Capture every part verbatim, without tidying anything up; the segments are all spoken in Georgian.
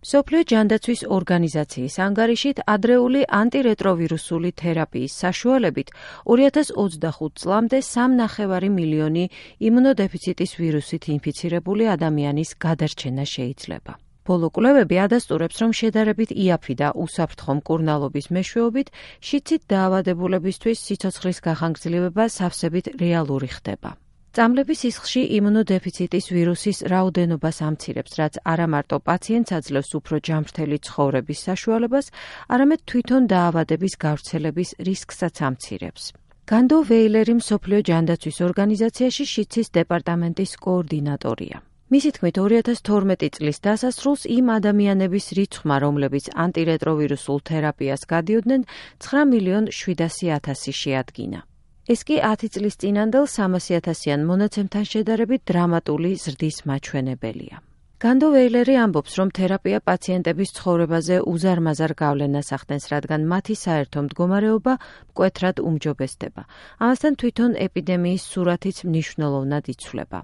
მსოფლიო ჯანდაცვის ორგანიზაციის ანგარიშით ადრეული ანტირეტროვირუსული თერაპიის საშუალებით ორი ათას ოცდახუთ წლამდე სამნახევარი მილიონი იმუნოდეფიციტის ვირუსით ინფიცირებული ადამიანის გადარჩენა შეიძლება. ბოლო კვლევები ადასტურებს, რომ შედარებით იაფი და უსაფრთხო მკურნალობის მეშვეობით შიდსით დაავადებულებისთვის სიცოცხლის გახანგრძლივება სავსებით რეალური ხდება. წამლების სისხლში იმუნოდეფიციტის ვირუსის რაოდენობას ამცირებს, რაც არა მარტო პაციენტს აძლევს უფრო ჯანმრთელი ცხოვრების საშუალებას, არამედ თვითონ დაავადების გავრცელების რისკსაც ამცირებს. განდო ვეილერი მსოფლიო ჯანდაცვის ორგანიზაციაში შიდსის დეპარტამენტის კოორდინატორია. მისი თქმით, ორი ათას თორმეტი წლის დასასრულს იმ ადამიანების რიცხვმა, რომლებიც ანტირეტროვირუსულ თერაპიას გადიოდნენ, ცხრა მილიონ შვიდასი ათასი შეადგინა. ეს კი ათი წლის წინანდელ სამასი ათასიან მონაცემთან შედარებით დრამატული ზრდის მაჩვენებელია. განდო ვეილერი ამბობს, რომ თერაპია პაციენტების ცხოვრებაზე უზარმაზარ გავლენას ახდენს, რადგან მათი საერთო მდგომარეობა მკვეთრად უმჯობესდება. ამასთან თვითონ ეპიდემიის სურათიც მნიშვნელოვნად იცვლება.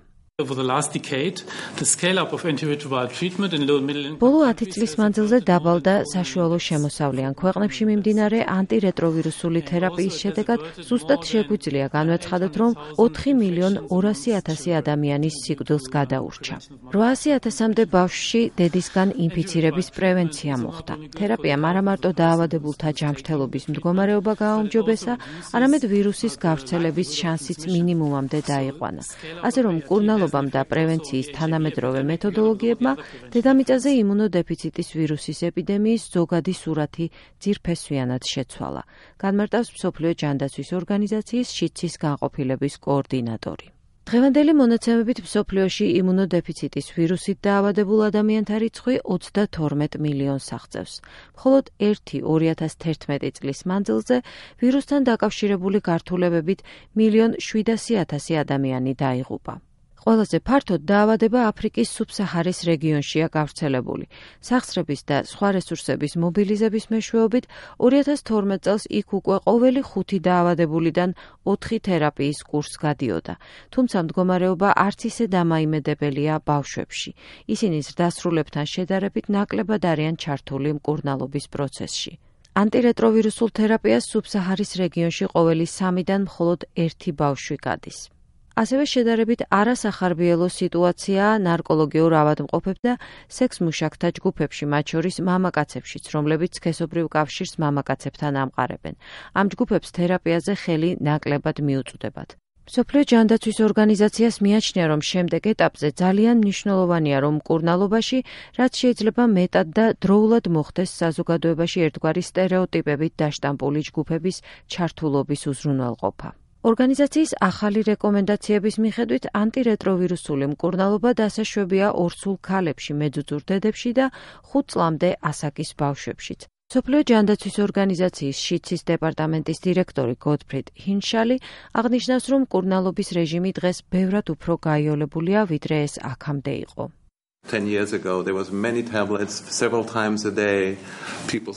ბოლო ათი წლის მანძილზე დაბალ და საშუალო შემოსავლიან ქვეყნებში მიმდინარე ანტირეტროვირუსული თერაპიის შედეგად ზუსტად შეგვიძლია განვეცხადოთ, რომ ოთხი მილიონ ორასი ათასი ადამიანის სიკვდილს გადაურჩა. რვაასი ათასამდე ბავშვში დედისგან ინფიცირების პრევენცია მოხდა. თერაპიამ არა მარტო დაავადებულთა ჯანმრთელობის მდგომარეობა გააუმჯობესა, არამედ ვირუსის გავრცელების შანსიც მინიმუმამდე დაიყვანა. ასე რომ მკურნალობა და პრევენციის თანამედროვე მეთოდოლოგიებმა დედამიწაზე იმუნოდეფიციტის ვირუსის ეპიდემიის ზოგადი სურათი ძირფესვიანად შეცვალა, განმარტავს მსოფლიო ჯანდაცვის ორგანიზაციის შიდსის განყოფილების კოორდინატორი. დღევანდელი მონაცემებით მსოფლიოში იმუნოდეფიციტის ვირუსით დაავადებულ ადამიანთა რიცხვი ოცდათორმეტ მილიონს აღწევს. მხოლოდ ერთი ორი ათას თერთმეტი წლის მანძილზე ვირუსთან დაკავშირებული გართულებებით მილიონ შვიდასი ათასი ადამიანი დაიღუპა. ყველაზე ფართოდ დაავადება აფრიკის სუბსაჰარის რეგიონშია გავრცელებული. სახსრების და სხვა რესურსების მობილიზების მეშვეობით ორი ათას თორმეტ წელს იქ უკვე ყოველი ხუთი დაავადებულიდან ოთხი თერაპიის კურსს გადიოდა. თუმცა მდგომარეობა არც ისე დამაიმედებელია ბავშვებში. ისინი ზრდასრულებთან შედარებით ნაკლებად არიან ჩართული მკურნალობის პროცესში. ანტირეტროვირუსულ თერაპიას სუბსაჰარის რეგიონში ყოველი სამიდან მხოლოდ ერთი ბავშვი გადის. ასევე შედარებით არასახარბიელო სიტუაციაა ნარკოლოგიურ ავადმყოფებს და სექს-მუშაკთა ჯგუფებში, მათ შორის მამაკაცებშიც, რომლებიც სქესობრივ კავშირს მამაკაცებთან ამყარებენ. ამ ჯგუფებს თერაპიაზე ხელი ნაკლებად მიუწვდებათ. მსოფლიო ჯანდაცვის ორგანიზაციას მიაჩნია, რომ შემდეგ ეტაპზე ძალიან მნიშვნელოვანია, რომ მკურნალობაში, რაც შეიძლება მეტად და დროულად მოხდეს საზოგადოებაში ერთგვარი სტერეოტიპებით დაშტამპული ჯგუფების ჩართულობის უზრუნველყოფა. ორგანიზაციის ახალი რეკომენდაციების მიხედვით ანტირეტროვირუსული მკურნალობა დასაშვებია ორსულ ქალებში, მეძუძურ დედებში და ხუთ წლამდე ასაკის ბავშვებშიც. მსოფლიო ჯანდაცვის ორგანიზაციის შიდსის დეპარტამენტის დირექტორი გოტფრიდ ჰინშალი აღნიშნავს, რომ მკურნალობის რეჟიმი დღეს ბევრად უფრო გაიოლებულია, ვიდრე ეს აქამდე იყო.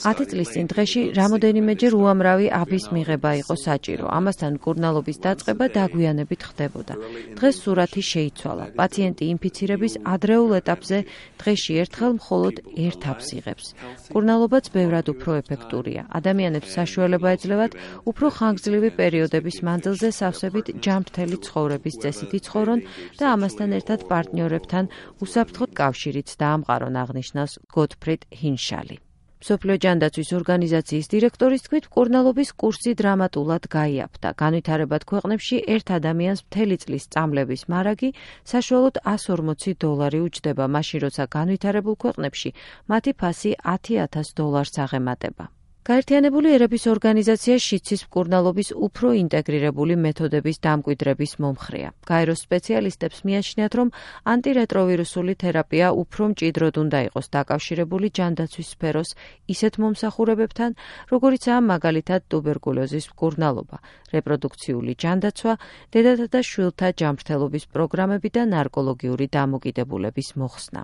ათი წლის წინ დღეში რამოდენიმეჯერ უამრავი აბის მიღება იყო საჭირო. ამასთან მკურნალობის დაწყება დაგვიანებით ხდებოდა. დღეს სურათი შეიცვალა. პაციენტი ინფიცირების ადრეულ ეტაპზე დღეში ერთხელ მხოლოდ ერთ აბს იღებს. მკურნალობაც ბევრად უფრო ეფექტურია. ადამიანებს საშუალება ეძლევათ უფრო ხანგრძლივი პერიოდების მანძილზე სავსებით ჯანმრთელი ცხოვრების წესით იცხოვრონ და ამასთან ერთად პარტნიორებთან უსაფრთხოდ კავშირიც დაამყარონ, აღნიშნავს გოტფრიდ ჰინშალი. მსოფლიო ჯანდაცვის ორგანიზაციის დირექტორის თქმით, მკურნალობის კურსი დრამატულად გაიაფთა. განვითარებად ქვეყნებში ერთ ადამიანს მთელი წლის წამლების მარაგი საშუალოდ ასი ორმოცი დოლარი უჯდება, მაშინ როცა განვითარებულ ქვეყნებში მათი ფასი ათი ათას დოლარს აღემატება. გაერთიანებული ერების ორგანიზაცია შიდსის მკურნალობის უფრო ინტეგრირებული მეთოდების დამკვიდრების მომხრეა. გაეროს სპეციალისტებს მიაჩნიათ, რომ ანტირეტროვირუსული თერაპია უფრო მჭიდროდ უნდა იყოს დაკავშირებული ჯანდაცვის სფეროს ისეთ მომსახურებებთან, როგორიცაა მაგალითად ტუბერკულოზის მკურნალობა, რეპროდუქციული ჯანდაცვა, დედათა და შვილთა ჯანმრთელობის პროგრამები და ნარკოლოგიური დამოკიდებულების მოხსნა.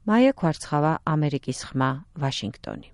მაია ქვარცხავა, ამერიკის ხმა, ვაშინგტონი.